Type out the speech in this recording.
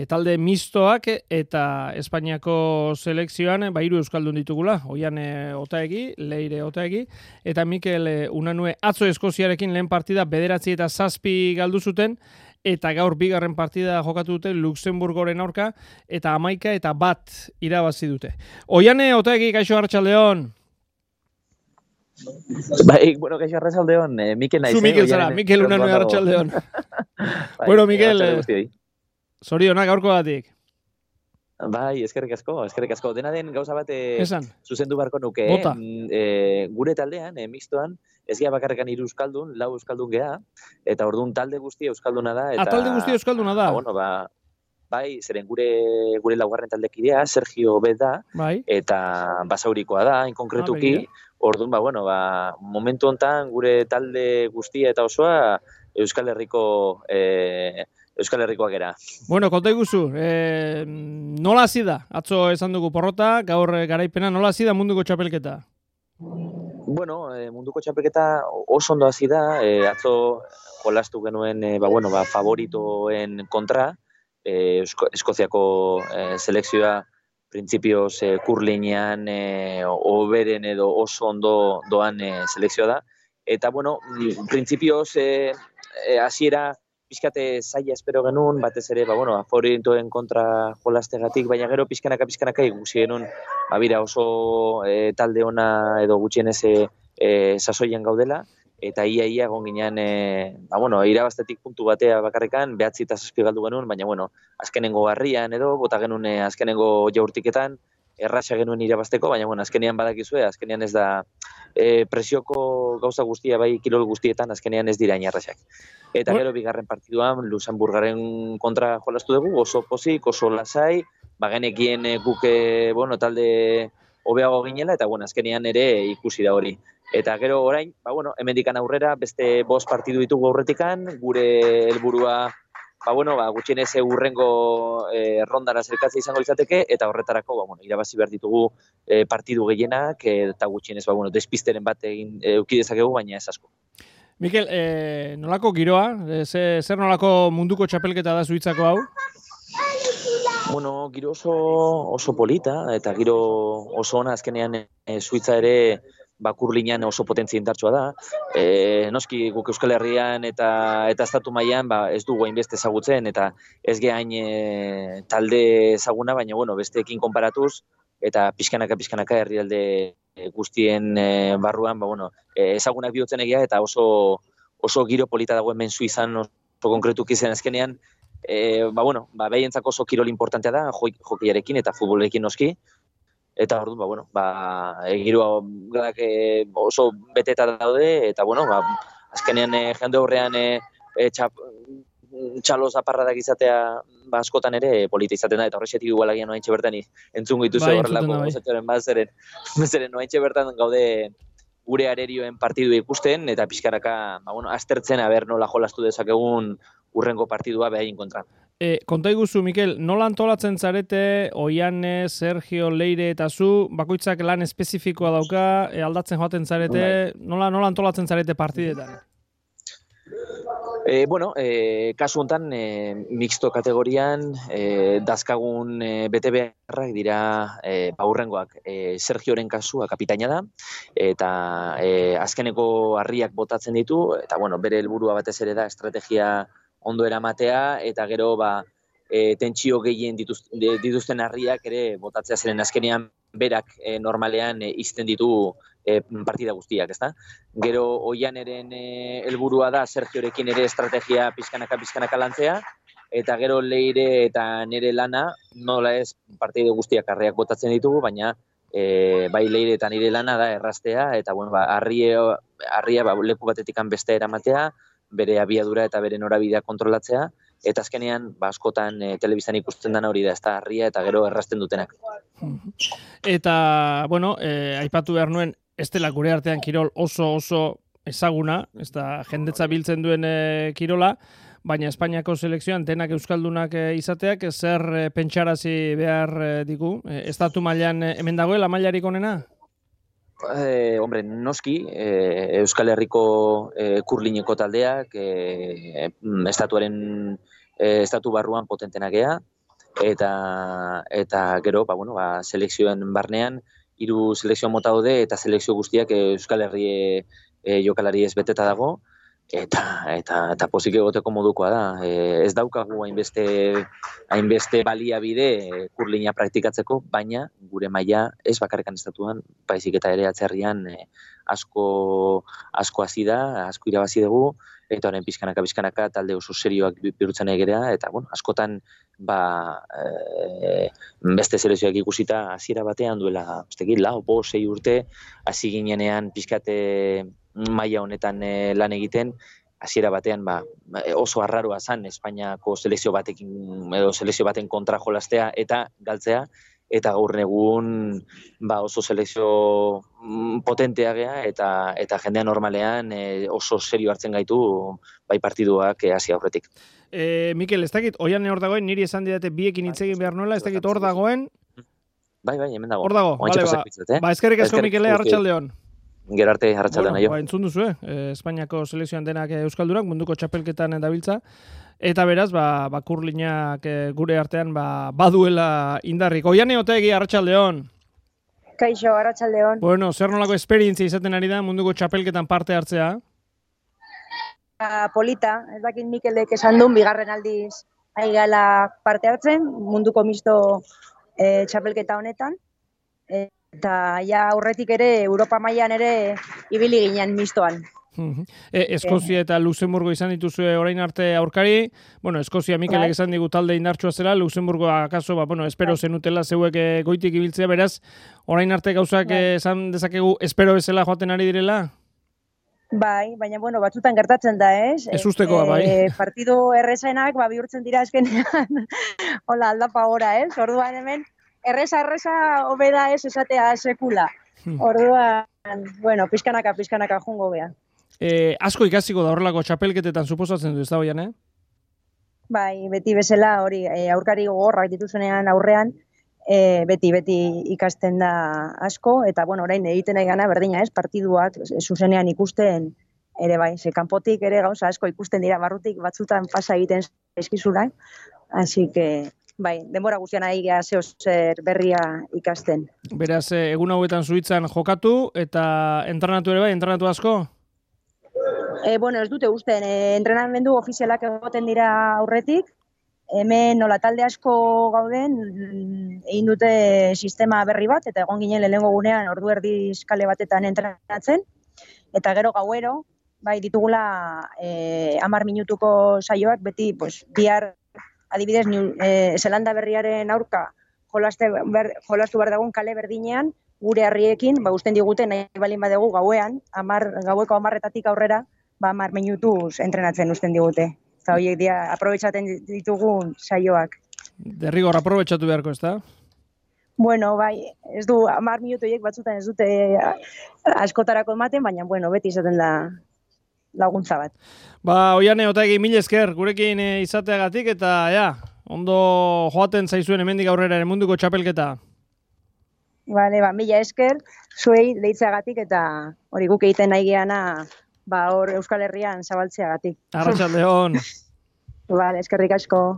talde mistoak eta Espainiako selekzioan hiru euskaldun ditugula. Oiane Otaegi, Leire Otaegi eta Mikel Unanue atzo Eskoziarekin lehen partida 9-7 galdu zuten eta gaur bigarren partida jokatu dute Luxemburgoren aurka eta 11-1 irabazi dute. Oiane Otaegi, kaixo arratsaldeon. Bai, bueno, kaixo arratsaldeon, Mikel naiz. Zu Mikel zara, Mikel Unanue arratsaldeon. Bueno, Mikel, zorionak gaurkoagatik. Bai, eskerrik asko. Dena den gauza bat zuzendu barko nuke. Bota. Gure taldean, mistoan, ez gea bakarrekan 3 euskaldun, 4 euskaldun gea, eta orduan talde guztia euskalduna da. Talde guztia euskalduna da? Bai, zeren gure laugarren taldekidea, Sergio Bet da, bai. Eta basaurikoa da, inkonkretuki. Orduan, momentu hontan gure talde guztia eta osoa Euskal Herrikoak era. Bueno, konta iguzu, nola hasi da? Atzo esan dugu porrota, gaur garaipena, nola hasi da munduko txapelketa? Bueno, munduko txapelketa oso ondo hasi da, atzo jolastu genuen favoritoen kontra, Eskoziako selekzioa printzipioz kurlinean oberen edo oso ondo doan selekzioa da. Eta, printzipioz hasiera pixkate zaila espero genuen, batez ere, favoritoen kontra jolastegatik, baina gero pixkanaka ikusi genuen, oso talde ona edo gutxienez sasoian gaudela, eta ia egon ginean, irabaztetik puntu batea bakarrekan, 9-7 galdu genuen, baina, azkenengo harrian edo, bota genuen azkenengo jaurtiketan, erraxa genuen irabazteko, baina, azkenean badakizue, azkenean ez da presioko gauza guztia, bai kirol guztietan, azkenean ez dira inarraxak. Eta gero bigarren partiduan, Luxemburgaren kontra jolastu dugu, oso pozik, oso lasai, bagenekien guke, talde hobeago ginela, eta, azkenean ere ikusi da hori. Eta gero orain, hemendikan aurrera, beste 5 partidu ditugu aurretikan, gure helburua, gutxienez urrengo rondara zerkatzea izango izateke, eta horretarako, irabazi behar ditugu partidu gehienak, eta gutxienez, despisteren bat egin euki dezakegu, baina ez asko. Mikel, nolako giroa? Zer nolako munduko txapelketa da Suitzako hau? Bueno, giro oso polita, eta giro oso ona azkenean Suitza ere kurlinean oso potentzia indartsua da. Noski guk Euskal Herrian eta estatu mailan ez dugu hainbeste ezagutzen, eta ez gehain talde ezaguna, baina besteekin konparatuz, eta pixkanaka herrialde guztien barruan, ezagunak bihurtzen egia, eta oso giro polita dago hemen Suizan oso konkretuki zen azkenean, behientzako oso kirol importantea da, jokiarekin eta futbolekin noski, eta orduan, giroa oso beteta daude, eta azkenean jende horrean txalo zaparradak izatea askotan ere polita izaten da, eta horrexetik igualagian noaintxe bertan entzungo dituzu horrelako gozatxoren bazeren noaintxe bertan gaude gure arerioen partidu ikusten, eta pixkaraka aztertzen nola jolastu dezakegun urrengo partidua behain kontra. Konta iguzu, Mikel, nola antolatzen zarete, Oiane, Sergio, Leire eta zu, bakoitzak lan espezifikoa dauka, aldatzen joaten zarete, nola antolatzen zarete partidetan? Kasu honetan, mixto kategorian, dazkagun bete beharrak dira urrengoak. Sergioren kasua kapitaina da, eta azkeneko harriak botatzen ditu, eta bere helburua batez ere da estrategia ondo eramatea, eta gero tentsio gehien dituzten harriak ere botatzea zeren azkenean berak normalean izten ditu partida guztiak, ezta? Gero Oianeren helburua da Sergiorekin ere estrategia pizkanaka lantzea, eta gero Leire eta nere lana, nola ez partida guztiak harriak botatzen ditugu, baina bai Leire eta nire lana da erraztea, eta harria leku batetikan beste eramatea, bere abiadura eta bere norabidea kontrolatzea, eta azkenean askotan telebistan ikusten dena hori da, ez da harria eta gero errazten dutenak. Eta, aipatu behar nuen, ez dela gure artean kirol oso ezaguna, ez da jendetza biltzen duen kirola, baina Espainiako selekzioan denak euskaldunak izateak zer pentsarazi behar digu? Estatu mailan hemen dagoela mailarik onena? Noski, Euskal Herriko kurlineko taldeak estatu barruan potentenak gea, eta gero, selekzioen barnean, 3 selekzio mota daude eta selekzio guztiak Euskal Herri jokalari ez beteta dago, eta pozik egoteko modukoa da. Ez daukagu hainbeste baliabide kurlina praktikatzeko, baina gure maila ez bakarrikan estatuan, baizik eta ere atzerrian asko hasi da, asko irabazi dugu, eta orain pizkanaka talde oso serioak bihurtzen egera, eta askotan beste selekzioak ikusita hasiera batean duela, 4-6 urte hasi ginenean pizkate maila honetan lan egiten, hasiera batean oso arraroa zen Espainiako selekzio batekin edo selekzio baten kontra jolastea eta galtzea, eta gaur egun oso selekzio potentea gea eta jendea normalean oso serio hartzen gaitu bai partiduak hasi aurretik. Mikel, ez dakit, Oiane hor dagoen, niri esan didate biekin hitz egin behar nuela, ez dakit hor dagoen? Bai, hemen dago. Hor dago, bale, eskerrik asko Mikele, arratsaldeon. Gero arte, arratsaldeon aio. Entzun duzu, Espainiako selekzioan denak euskaldurak, munduko txapelketan dabiltza, eta beraz, kurlinak gure artean baduela indarrik. Oiane Otegi, arratsaldeon. Kaixo, arratsaldeon. Bueno, zer nolako esperientzia izaten ari da munduko txapelketan parte hartzea? Polita, ez dakit Mikelek esan duen, bigarren aldiz ari gala parte hartzen, munduko misto txapelketa honetan, eta ja aurretik ere, Europa mailan ere ibili ginen mistoan. Eskozia eta Luxemburgo izan dituzue orain arte aurkari, Eskozia Mikelek esan digu talde indartsua zela, Luxemburgo akaso, espero zenutela zeuek goitik ibiltzea, beraz, orain arte gauzak esan dezakegu espero bezala joaten ari direla? Bai, baina batzutan gertatzen da, ez? Ez ustekoa, bai. Partidu errezenak bihurtzen dira azkenean, hola, aldapa gora, ez? Orduan hemen, erreza hobeda ez esatea sekula. Orduan, pizkanaka jungo bea. Asko ikasiko da horrelako txapelketetan suposatzen du, ez da hoian, Bai, beti bezala hori, aurkari gogorrak dituzunean aurrean, beti ikasten da asko, eta orain egiten nahi gana berdina ez, partiduak zuzenean ikusten ere bai, kanpotik ere gauza asko ikusten dira, barrutik batzutan pasa egiten eskizula, hasi que bai, denbora guztian nahi gara zer berria ikasten. Beraz, egun hauetan Suitzan jokatu, eta entrenatu ere bai, entrenatu asko? Ez dute usten, entrenamendu ofizialak egoten dira aurretik, hemen nola talde asko gauden, egin dute sistema berri bat, eta egon ginen lehenengo gunean ordu erdiz kale batetan entrenatzen, eta gero gauero, bai ditugula 10 minutuko saioak, beti bihar adibidez Zelanda berriaren aurka jolastu behar dagoen kale berdinean, gure herriekin, usten digute nahi balin badegu gauean, gaueko 10-etatik aurrera, 10 minutuz entrenatzen usten digute. Eta horiek dia aprobetxaten ditugun saioak. Derrigor aprobetxatu beharko, ez da? Bai, ez du, 10 minutoiek batzutan ez dute askotarako ematen, baina, beti izaten da laguntza bat. Oiane Otegi, mil esker, gurekin izateagatik, eta, ondo joaten zaizuen hemendik aurrera munduko txapelketa. Bale, mila esker, zuei deitzeagatik, eta hori guk egiten nahi geana, hor Euskal Herrian zabaltzeagatik. Arratsaldeon. Eskerrik asko.